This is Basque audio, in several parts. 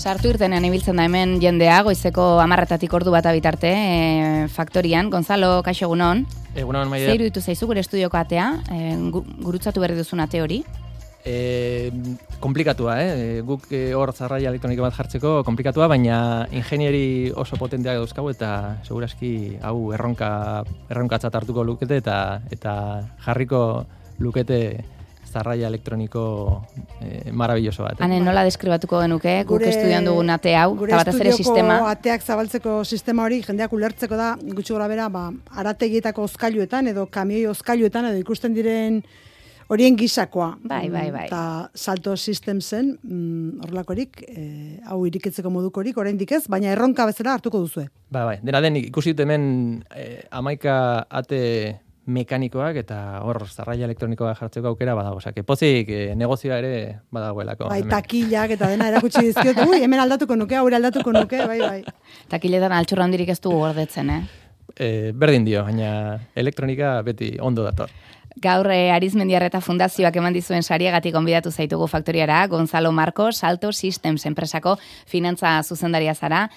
Sartu irtenean ibiltzen da hemen jendea, goizeko 10:00 ordu bat bitarte, faktorian. Gonzalo, kaixo egunon. Egunon, Maider. Zer iruditu zaizu gure estudioko atea, gurutzatu berri duzun ate hori? Komplikatua, guk hor zarraia elektroniko bat jartzeko komplikatua, baina ingenieri oso potenteak dauzkagu eta segurazki hau erronkatzat hartuko lukete eta jarriko lukete zarraia elektroniko maravilloso bat. Hane, nola deskribatuko genuke, guk estudian dugun ate hau, eta batez ere sistema? Gure estudioko ateak zabaltzeko sistema hori, jendeak ulertzeko da, gutxi gora bera, arategietako ozkailuetan edo kamioi ozkailuetan edo ikusten diren horien gisakoa. Bai. Eta Salto Systemsen, horrelakorik, hau irikitzeko modukorik, oraindik ez, baina erronka bezala hartuko duzue. Bai, dena den ikusi dut hemen 11 ate mekanikoak eta hor zarraia elektronikoa jartzeko aukera badago. Osea, pozik negozioa ere badagoelako. Bai, takilak eta dena erakutsi dizkiot. Hemen aldatuko nuke, hau aldatuko nuke, bai. Takiletan altxorra handirik ez dugu gordetzen, Berdin dio, baina elektronika beti ondo dator. Gaur Arizmendiarreta Fundazioak eman dizuen sariagatik gonbidatu zaitugu faktoriara, Gonzalo Marcos, Salto Systems enpresako finantza zuzendaria zara.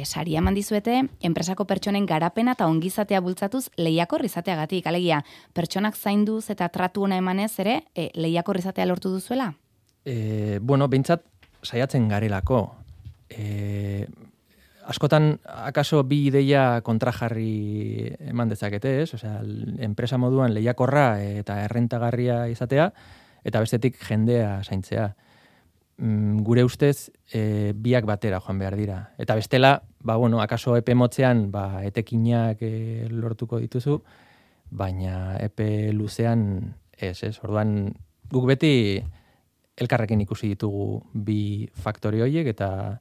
Saria eman dizuete, enpresako pertsonen garapena eta ongizatea bultzatuz lehiakor izateagatik. Alegia, pertsonak zainduz eta tratu ona emanez ere, lehiakor izatea lortu duzuela? Behintzat saiatzen garelako. Askotan, akaso bi ideia kontrajarri eman dezakete, ez? Osea, enpresa moduan lehiakorra eta errentagarria izatea, eta bestetik jendea zaintzea. Gure ustez, biak batera joan behar dira. Eta bestela, akaso epe motzean, etekinak lortuko dituzu, baina epe luzean ez. Orduan, guk beti elkarrekin ikusi ditugu bi faktori horiek, eta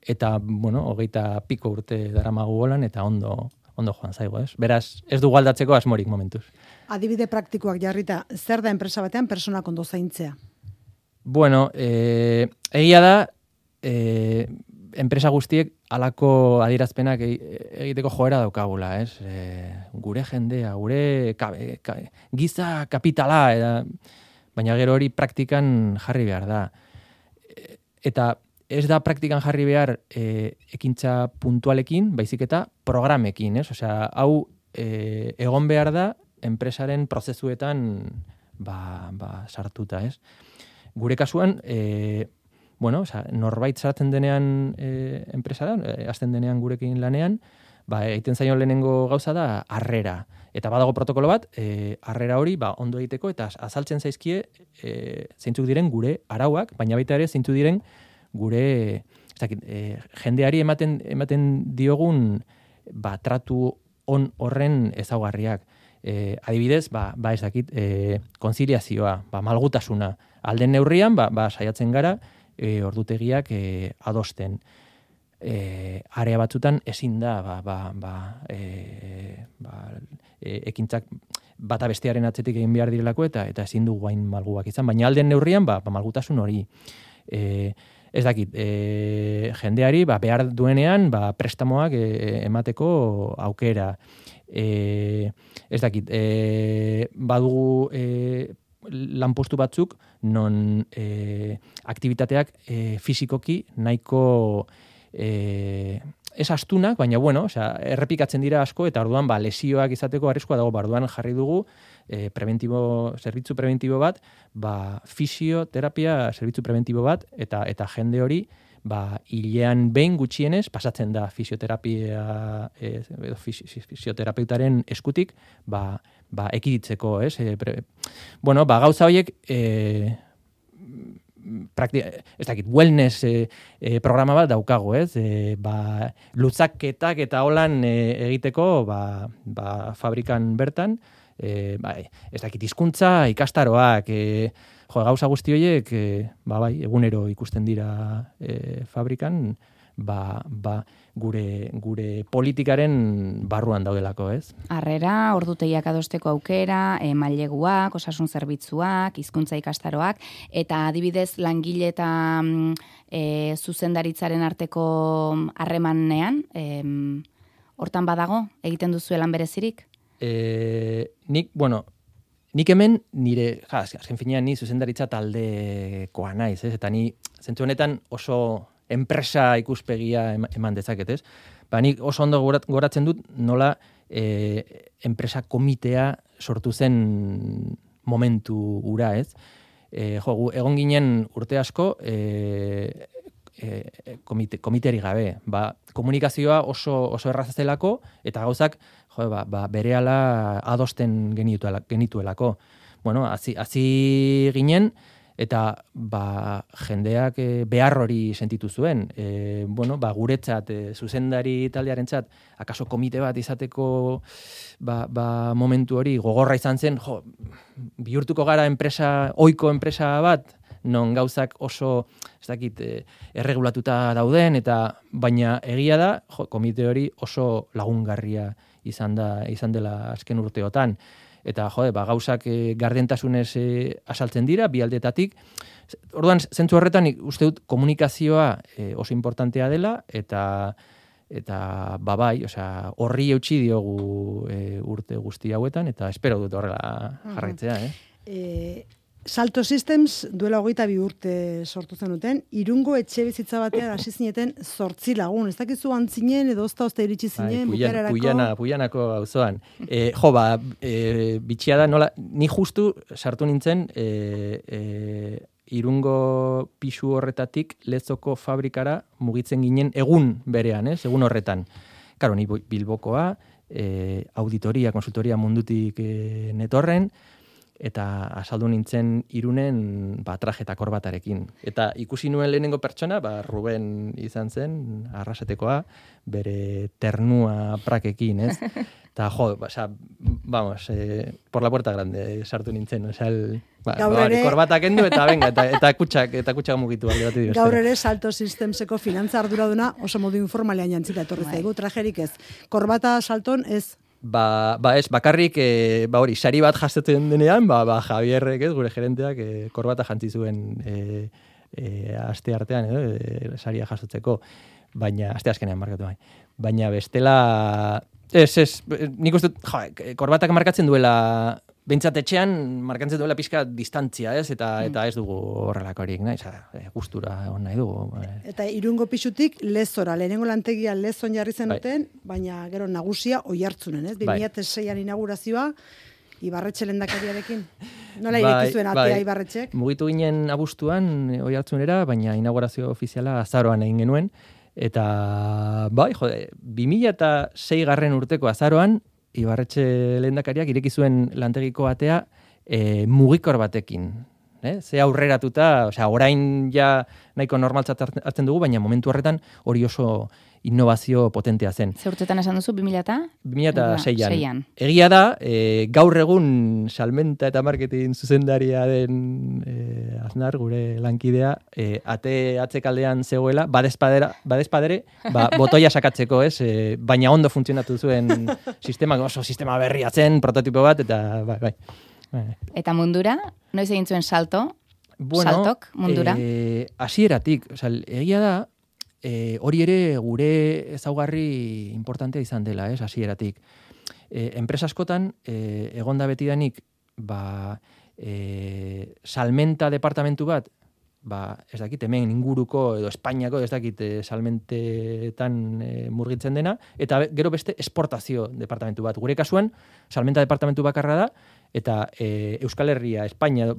20 piko urte daramagu golan, eta ondo joan zaigo, ez? Beraz, ez dugu aldatzeko asmorik momentuz. Adibide praktikoak jarrita, zer da enpresa batean personak ondo zaintzea? Egia da, enpresa guztiek halako adierazpenak egiteko joera daukagula, ez? Gure jendea, gure giza kapitala, baina gero hori praktikan jarri behar da. Eta ez da praktikan jarri behar ekintza puntualekin, baizik eta programekin, ez? Osea, hau egon behar da enpresaren prozesuetan sartuta, ez? Gure kasuan, norbait sartzen denean enpresara, hasten denean gurekin lanean, egiten zaion lehenengo gauza da harrera. Eta badago protokolo bat, harrera hori ondo egiteko, eta azaltzen zaizkie zeintzuk diren gure arauak, baina baita ere zeintzuk diren gure jendeari ematen diogun tratu on horren ezaugarriak. Adibidez, ez dakit, konziliazioa, malgutasuna. Alden neurrian, saiatzen gara ordutegiak adosten. Area batzutan ezin da ekintzak bata bestearen atzetik egin behar direlako eta ezin du guain malguak izan. Baina alden neurrian, malgutasun hori. Ez dakit, jendeari behar duenean prestamoak emateko aukera. Ez dakit, badugu lanpostu batzuk non aktibitateak fisikoki nahiko ez astunak, baina errepikatzen dira asko eta orduan lesioak izateko arriskua dago. Orduan jarri dugu zerbitzu preventibo bat, fisioterapia zerbitzu preventibo bat, eta jende hori hilean behin gutxienez pasatzen da fisioterapeutaren eskutik ekiditzeko, ez? Gauza horiek ez dakit, wellness programa bat daukago, ez? Lutzaketak eta holan egiteko fabrikan bertan, ez dakit, hizkuntza ikastaroak, gauza guzti horiek, egunero ikusten dira fabrikan, gure politikaren barruan daudelako, ez? Harrera, ordutegiak adosteko aukera, maileguak, osasun zerbitzuak, hizkuntza ikastaroak, eta adibidez langile eta zuzendaritzaren arteko harremanean, hortan badago, egiten duzuelan berezirik? Nik hemen nire, azken finean ni zuzendaritza taldekoa naiz, ez? Eta ni zentzu honetan oso enpresa ikuspegia eman dezaket, ez? Ba, nik oso ondo goratzen dut nola enpresa komitea sortu zen momentu ura, ez? Egon ginen urte asko komiteari gabe. Ba, komunikazioa oso erraza zelako eta gauzak berehala adosten genituelako. Bueno, hasi ginen eta jendeak behar hori sentitu zuen. Guretzat, zuzendari taldearentzat, akaso komite bat izateko momentu hori gogorra izan zen, bihurtuko gara ohiko enpresa bat, non gauzak oso, ez dakit, erregulatuta dauden, baina egia da, komite hori oso lagungarria izan dela azken urteotan. Eta, gauzak gardentasunez asaltzen dira, bi aldetatik. Orduan, zentzu horretan, uste dut, komunikazioa oso importantea dela, eta bai, horri eutxi diogu urte guzti hauetan, eta espero dut horrela jarraitzea. Salto Systems duela 22 urte sortu zenuten, Irungo etxe bizitza batean hasi zineten 8 lagun. Ez dakizu antzinen edo ozta iritsi zinen bukaerarako. Puianako auzoan. Bitxia da, nola, ni justu sartu nintzen Irungo pisu horretatik Lezoko fabrikara mugitzen ginen egun berean, egun horretan. Karo, ni Bilbokoa, auditoria, konsultoria mundutik netorren, eta asaldu nintzen Irunen traje eta korbatarekin. Eta ikusi nuen lehenengo pertsona, Ruben izan zen, Arrasatekoa, bere ternua prakekin, ez? Eta vamos, por la puerta grande sartu nintzen, korbata kendu eta venga, eta kutsak mugitu alde bat. Gaur ere Salto Systemseko finantza arduraduna oso modu informalean jantzita etorri zaigu, trajerik ez. Korbata salton ez. Ez, bakarrik, hori, sari bat jastetzen denean, Javierrek, gure gerenteak, korbata jantzi zuen aste artean, saria jasotzeko, baina, aste azkenean markatu bai. Baina bestela, nik uste, korbatak markatzen duela, behintzat etxean, markatzen duela pixka distantzia, ez? Eta ez dugu horrelakorik, gustura on nahi dugu. Eta Irungo pisutik Lezora, lehenengo lantegia Lezon jarri zenuten, baina gero nagusia Oiartzunen, ez? 2006an inaugurazioa, Ibarretxe lehendakariarekin. Nola ireki zuen atea Ibarretxek? Mugitu ginen abuztuan Oiartzunera, baina inaugurazio ofiziala azaroan egin genuen. Eta, 2006 garren urteko azaroan, Ibarretxe lehendakariak ireki zuen lantegiko atea mugikor batekin. Ze aurreratuta, orain ja nahiko normaltzat hartzen dugu, baina momentu horretan hori oso innovazio potentea zen. Ze urtetan esan duzu, 2006an. Egia da, gaur egun salmenta eta marketing zuzendaria den Aznar, gure lankidea, ate atzekaldean zegoela, badezpadere, botoia sakatzeko, ez? Baina ondo funtzionatu zuen sistema, oso sistema berria zen, prototipo bat, eta bai. Eta mundura, noiz egin zuen saltok mundura? Hasieratik, egia da, hori ere gure ezaugarri importantea izan dela, hasieratik. Enpresa askotan, egonda betidanik, salmenta departamentu bat, ez dakit, hemen inguruko edo Espainiako, ez dakit, salmentetan murgitzen dena, eta gero beste esportazio departamentu bat. Gure kasuan, salmenta departamentu bakarra da, eta Euskal Herria, Espainia,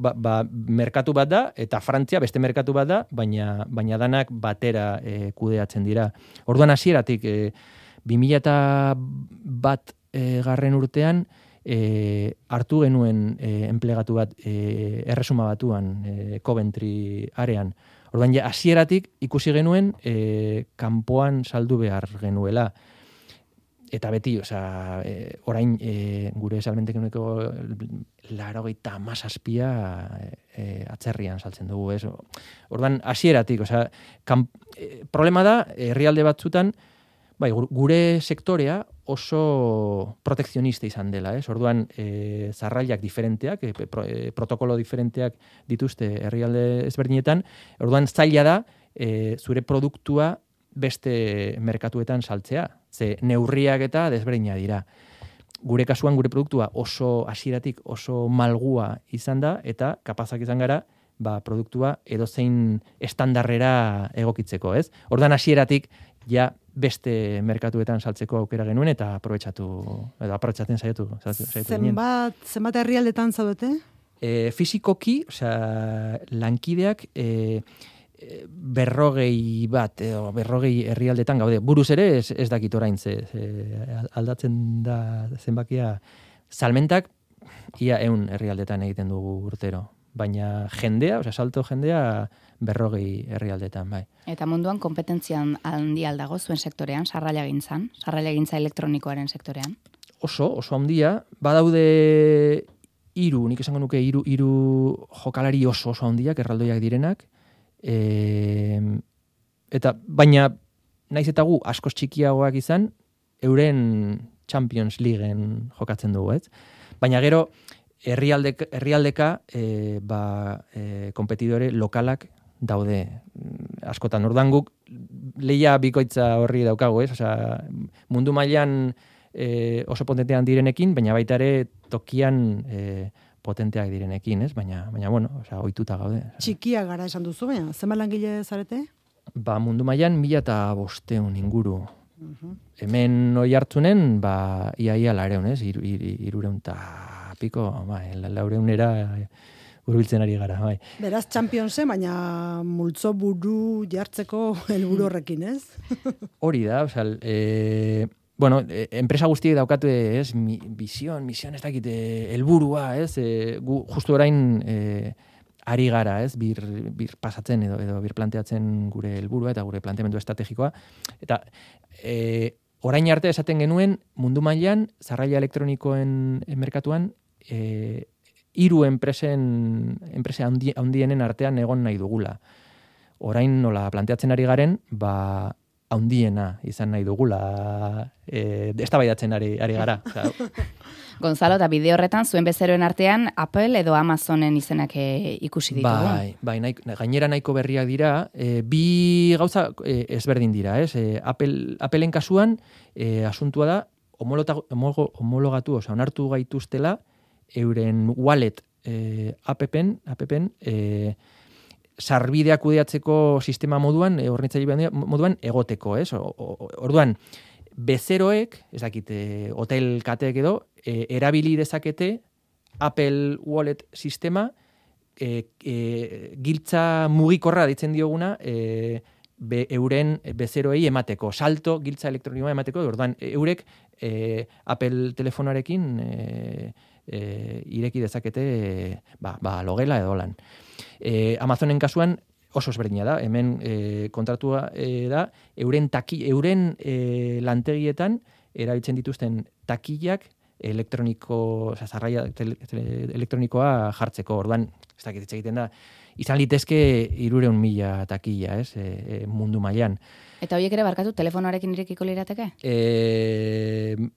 merkatu bat da, eta Frantzia beste merkatu bat da, baina danak batera kudeatzen dira. Orduan hasieratik 2001 garren urtean, hartu genuen enplegatu bat Erresuma Batuan, Coventry arean. Orduan hasieratik ikusi genuen kanpoan saldu behar genuela. Eta beti, orain gure salmentekeneko 97 atzerrian saltzen dugu, ez? Orduan hasieratik, problema da, herrialde batzutan, gure sektorea oso protekzionista izan dela, ez? Orduan, zarrailak diferenteak, protokolo diferenteak dituzte herrialde ezberdinetan, orduan zaila da, zure produktua beste merkatuetan saltzea, ze neurriak eta desberdina dira. Gure kasuan, gure produktua oso hasieratik oso malgua izan da, eta kapazak izan gara, produktua edozein estandarrera egokitzeko, ez? Ordan hasieratik ja beste merkatuetan saltzeko aukera genuen eta aprobetxatzen saiatu ginen. Zenbat herrialdetan zaudete? Fisikoki, lankideak 40 herrialdetan gaude. Buruz ere ez dakit orain aldatzen da zenbakia. Salmentak ia 100 herrialdetan egiten dugu urtero. Baina jendea, salto jendea 40 herrialdetan, bai. Eta munduan kompetentzian handi aldago zuen sektorean, sarrailegintza elektronikoaren sektorean? Oso handia. Badaude nik esango nuke hiru jokalari oso handiak, erraldoiak direnak. Eta baina naiz eta gu askoz txikiagoak izan, euren Champions Leagueen jokatzen dugu, ez? Baina gero herrialdeka kompetidore lokalak daude askotan. Ordan guk leia bikoitza horri daukagu, ez? Mundu mailan oso potentean direnekin, baina baita ere tokian potenteak direnekin, ez? Baina bueno, ohituta gaude. Txikia gara esan duzu, baina zenbat langile zarete? Mundu mailan 1500 inguru. Hemen Oiartzunen, ia 400, ez? 300 eta piko, 400era hurbiltzen ari gara, bai. Beraz, Championse, baina multzo buru jartzeko helburu horrekin, ez? Hori da, bueno, enpresa guztiek daukatu, ez, mision, ez dakit, helburua, ez, gu justu orain ari gara, ez, bir pasatzen edo bir planteatzen gure helburua eta gure planteamendu estrategikoa, eta orain arte esaten genuen mundu mailan sarraila elektronikoen merkatuan 3 enpresa handienen artean egon nahi dugula. Orain nola planteatzen ari garen, handiena izan nahi dugula, eztabaidatzen ari gara. Gonzalo, eta bideo horretan zuen bezeroen artean Apple edo Amazonen izenak ikusi ditugu. Bai, gainera nahiko berriak dira, bi gauza ezberdin dira, ez? Appleen kasuan asuntua da homologatu, onartu gaituztela euren wallet appen sarbideak kudeatzeko sistema moduan, hornitzaile moduan egoteko, ez? Orduan, bezeroek, ez dakit, hotel kateek edo, erabili dezakete Apple Wallet sistema, giltza mugikorra ditzen dioguna, euren bezeroei emateko, salto giltza elektronikoa emateko, orduan, eurek Apple telefonarekin ireki dezakete logela edo lan. Amazonen kasuan oso ezberdina da, hemen kontratua da, euren lantegietan erabiltzen dituzten takillak sarraia elektronikoa jartzeko, orduan, ez dakit hitz egiten da, izan litezke 300.000 takilla, ez, mundu mailan. Eta horiek ere barkatu telefonoarekin irekiko lirateke?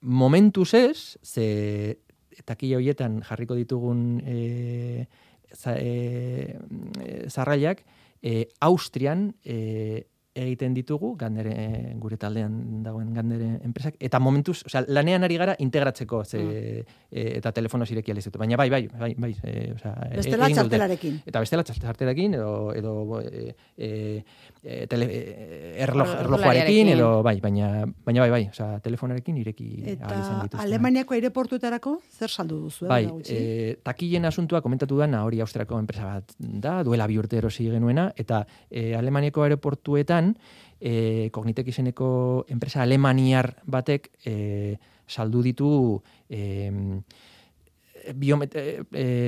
Momentuz ez, ze takilla horietan jarriko ditugun sarrailak, Austrian egiten ditugu, gure taldean dagoen Gandere enpresak, eta momentuz, lanean ari gara integratzeko, eta telefonoz ireki alizetu. Baina bai. Bestela txartelarekin. Eta bestela txartelarekin, edo erlojuarekin, edo baina bai, telefonarekin ireki alizen dituzten. Eta Alemaniako aireportuetarako zer saldu duzu? Bai, takillen asuntua komentatu dana, hori Austriako enpresa bat da, duela 2 urte erosi genuena, eta Alemaniako aireportuetan Cognitek izeneko enpresa alemaniar batek saldu ditu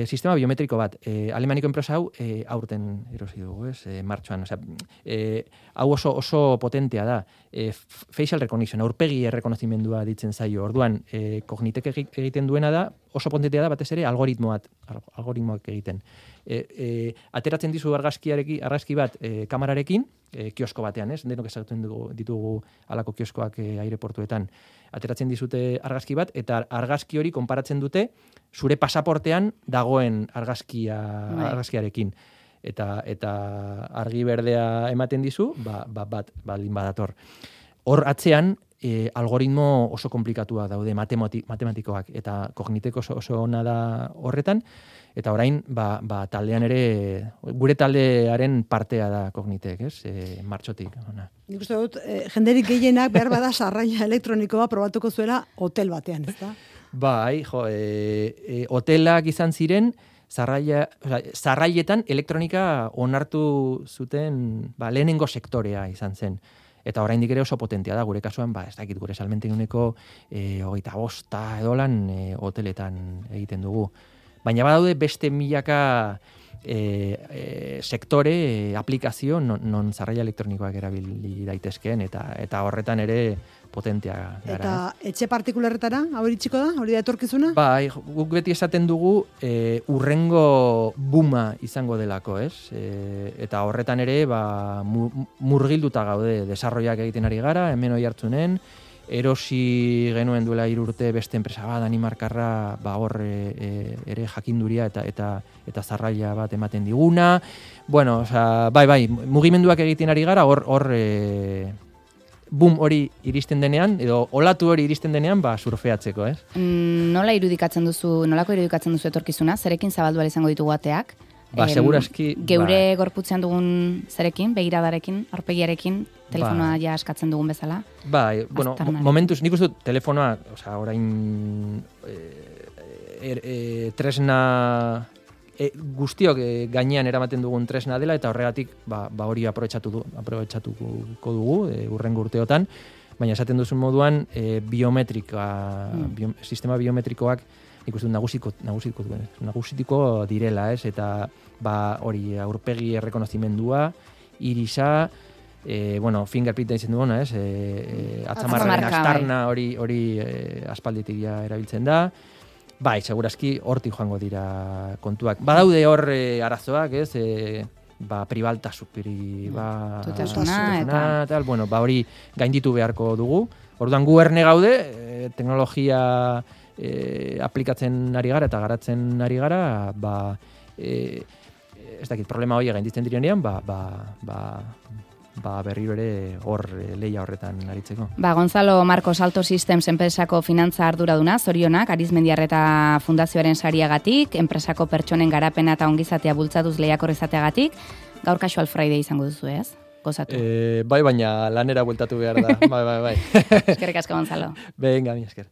sistema biometriko bat. Alemaniko enpresa hau aurten erosi dugu, martxoan. Hau oso potentea da. Facial recognition, aurpegi errekonozimendua ditzen zaio. Orduan, Cognitek egiten duena da, oso potentea da batez ere algoritmoak egiten. Ateratzen dizu argazki bat kamerarekin, kiosko batean, ez? Denok ezagutzen ditugu alako kioskoak aireportuetan. Ateratzen dizute argazki bat, eta argazki hori konparatzen dute zure pasaportean dagoen argazkiarekin. Eta argi berdea ematen dizu, baldin badator. Hor atzean, algoritmo oso komplikatua daude matematikoak, eta kogniteko oso ona da horretan, eta orain, taldean ere, gure taldearen partea da kognitek, martxotik. Ona. Nik uste dut, jenderik gehienak behar bada sarraila elektronikoa probatuko zuela hotel batean, ez da? Bai, hotelak izan ziren, zarrailetan elektronika onartu zuten lehenengo sektorea izan zen. Eta oraindik ere oso potentea da, gure kasuan, ez dakit gure salmenteguneko 25 edolan hoteletan egiten dugu. Baina badaude beste milaka sektore, aplikazio, non zarraila elektronikoak erabili daitezkeen, eta horretan ere potentea gara. Eta etxe partikularretara, hau iritsiko da? Hori da etorkizuna? Bai, guk beti esaten dugu urrengo buma izango delako, ez? Eta horretan ere murgilduta gaude, desarroiak egiten ari gara, hemen oi hartzunen, erosi genuen duela 3 urte beste enpresa bat, Danimarkarra, hor ere jakinduria eta zarraila bat ematen diguna. Bueno, bai, mugimenduak egiten ari gara, hor boom hori iristen denean, edo olatu hori iristen denean, surfeatzeko, ez? Nolako irudikatzen duzu etorkizuna? Zerekin zabaldu ahal izango ditugu ateak? Segurazki... Geure gorputzean dugun zerekin, begiradarekin, aurpegiarekin, telefonoa ja askatzen dugun bezala? Bai, bueno, momentuz, nik uste telefonoa, orain tresna... guztiok gainean eramaten dugun tresna dela, eta horregatik hori aprobetxatuko dugu urrengo urteotan, baina esaten duzun moduan sistema biometrikoak ikusten nagusitiko direla, ez? Eta hori aurpegi errekonozimendua, irisa, fingerprint ditzen duena, ez? Atzamarraren astarna hori aspalditik erabiltzen da. Bai, segurazki hortik joango dira kontuak. Badaude hor arazoak, ez? Tutasuna, tal, hori gainditu beharko dugu. Orduan gu erne gaude, teknologia aplikatzen ari gara eta garatzen ari gara, ez dakit, problema hori gainditzen direnean, berriro ere hor leia horretan aritzeko. Gonzalo Marcos Alto Systems enpresako finantza arduraduna, zorionak, Arizmendiarreta Fundazioaren sariagatik, enpresako pertsonen garapena eta ongizatea bultzatuz lehiakor izateagatik, gaur Casual Friday izango duzu, ez? Gozatu. Bai, baina lanera bueltatu behar da. Bai. Eskerrik asko, Gonzalo. Venga, mi esker.